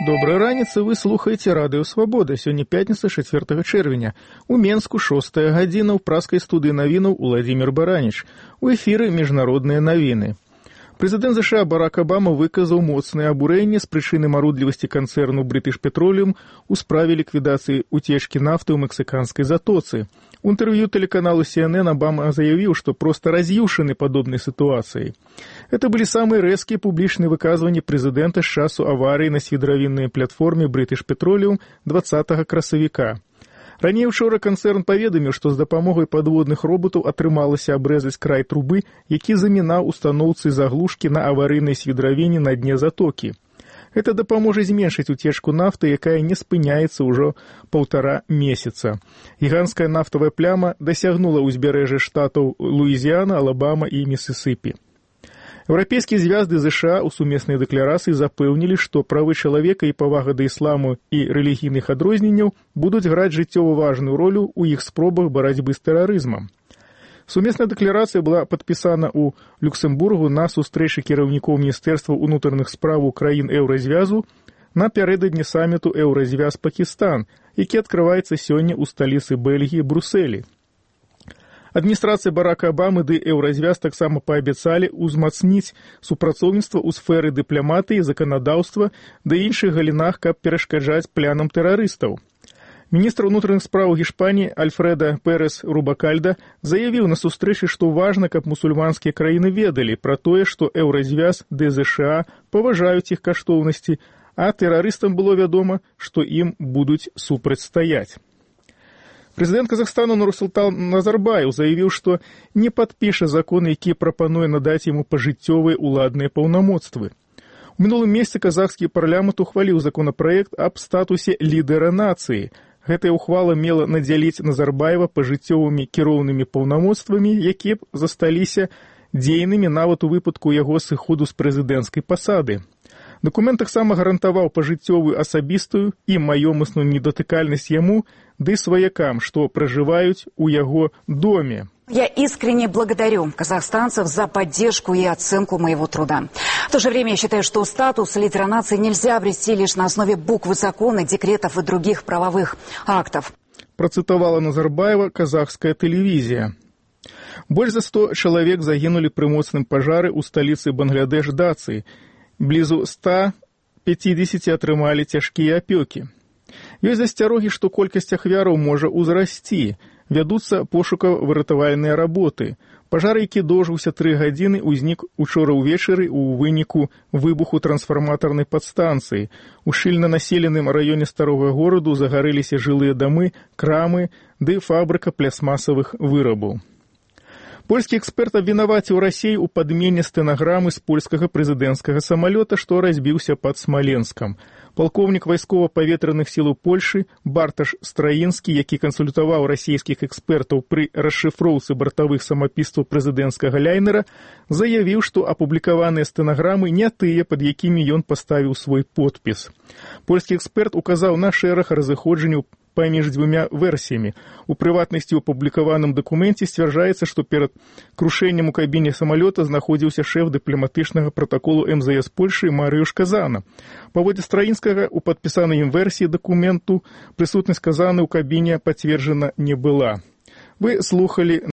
Доброй раніцы, вы слухаеце радыё Свабода. Сёння пятніца 4 чэрвеня. У Менску 6 гадзіна, ў праскай студыі навінаў Уладзімір Бараніч. У эфіры міжнародныя навіны. Прэзідэнт США Барак Абама выказаў моцнае абурэнне з прычыны марудлівасці канцэрну British Petroleum у справе ліквідацыі уцечкі нафты ў мексіканскай затоцы. У інтэрв'ю тэлеканалу CNN Обама заявіў, што проста раз'юшаны падобнай сітуацыяй. Это былі самыя рэзкія публічныя выказванні прэзідэнта з часу аварыі на свідравіннай платформе British Petroleum 20 красавіка. Раней учора канцэрн паведаміў, што з дапамогай падводных роботаў атрымалася абрэзаць край трубы, які замінаў устаноўцы заглушкі на аварыйнай свідравіне на дне затокі. Гэта дапаможа зменшыць уцечку нафты, якая не спыняецца ўжо 1,5 месяца. Гіганцкая нафтавая пляма дасягнула ўзбярэжжа штатаў Луізіяна, Алабама і Місісіпі. Еўрапейскія звязды США ў сумеснай дэкларацыі запэўнілі, што правы чалавека і павага да ісламу і рэлігійных адрозненняў будуць граць жыццёва важную ролю ў іх спробах барацьбы з тэрарызмам. Сумесная дэкларацыя была падпісана ў Люксембургу на сустрэчы кіраўнікоў Міністэрства ўнутраных спраў краін Еўразвязу напярэдадні саміту Еўразвяз-Пакістан, які адкрываецца сёння ў сталіцы Бельгіі Брусэлі. Адміністрацыя Барака Абамы ды Еўразвяз таксама паабяцалі ўзмацніць супрацоўніцтва ў сферы дыпламатыі, заканадаўства ды іншых галінах, каб перашкаджаць планам тэрарыстаў. Міністр унутраных спраў Гішпаніі Альфрэда Пэрэс Рубакальда заявіў на сустрэчы, што важна, каб мусульманскія краіны ведалі пра тое, што Еўразвяз ды ЗША паважаюць іх каштоўнасці, а тэрарыстам было вядома, што ім будуць супрацьстаяць. Прэзідэнт Казахстану Нурсултан Назарбаев заявіў, што не падпіша закон, які прапануе надаць яму пажыццёвыя ўладныя паўнамоцтвы. У мінулым месяцы казахскі парламент ухваліў законапраект аб статусе лідера нацыі. Гэтая ухвала мела надзяліць Назарбаева пажыццёвымі кіроўнымі паўнамоцтвамі, якія б засталіся дзейнымі нават у выпадку яго сыходу з прэзідэнцкай пасады. Дакумент таксама гарантаваў пажыццёвую асабістую і маёмасную недатыкальнасць яму ды сваякам, што пражываюць у яго доме. Я искренне благодарю казахстанцев за поддержку и оценку моего труда. В то же время я считаю, что статус лидера нации нельзя обрести лишь на основе буквы закона, декретов и других правовых актов. Процитовала Назарбаева казахская телевизия. Больш за 100 чалавек загінулі пры моцным пажары ў сталіцы Бангладеш Дацы. Блізу 150 атрымалі цяжкія апёкі. Ёсць засцярогі, што колькасць ахвяраў можа ўзрасці. Вядуцца пошукава-выратавальныя работы. Пажар, які доўжыўся 3 гадзіны, узнік учора ўвечары ў выніку выбуху трансфарматарнай падстанцыі. У шчыльна населеным раёне старога гораду загарэліся жылыя дамы, крамы ды фабрыка плястмасавых вырабаў. Польскі эксперт абвінаваціў Расею ў падмене стэнаграмы з польскага прэзідэнцкага самалёта, што разбіўся пад Смаленскам. Палкоўнік вайскова-паветраных сілаў Польшы Барташ Страінскі, які кансультаваў расійскіх экспертаў пры расшыфроўцы бартавых самапісцаў прэзідэнцкага ляйнера, заявіў, што апублікаваныя стэнаграмы не тыя, пад якімі ён паставіў свой подпіс. Польскі эксперт указаў на шэраг разыходжанняў паміж дзвюмя версіямі. У прыватнасці ў апублікаваным дакуменце сцвярджаецца, што перад крушэннем у кабіне самалёта знаходзіўся шэф дыпламатычнага пратаколу МЗС Польшы Марыюш Казана. Паводле Страінскага, у падпісанай ім версіі дакументу прысутнасць Казаны ў кабіне пацверджана не была. Вы слухалі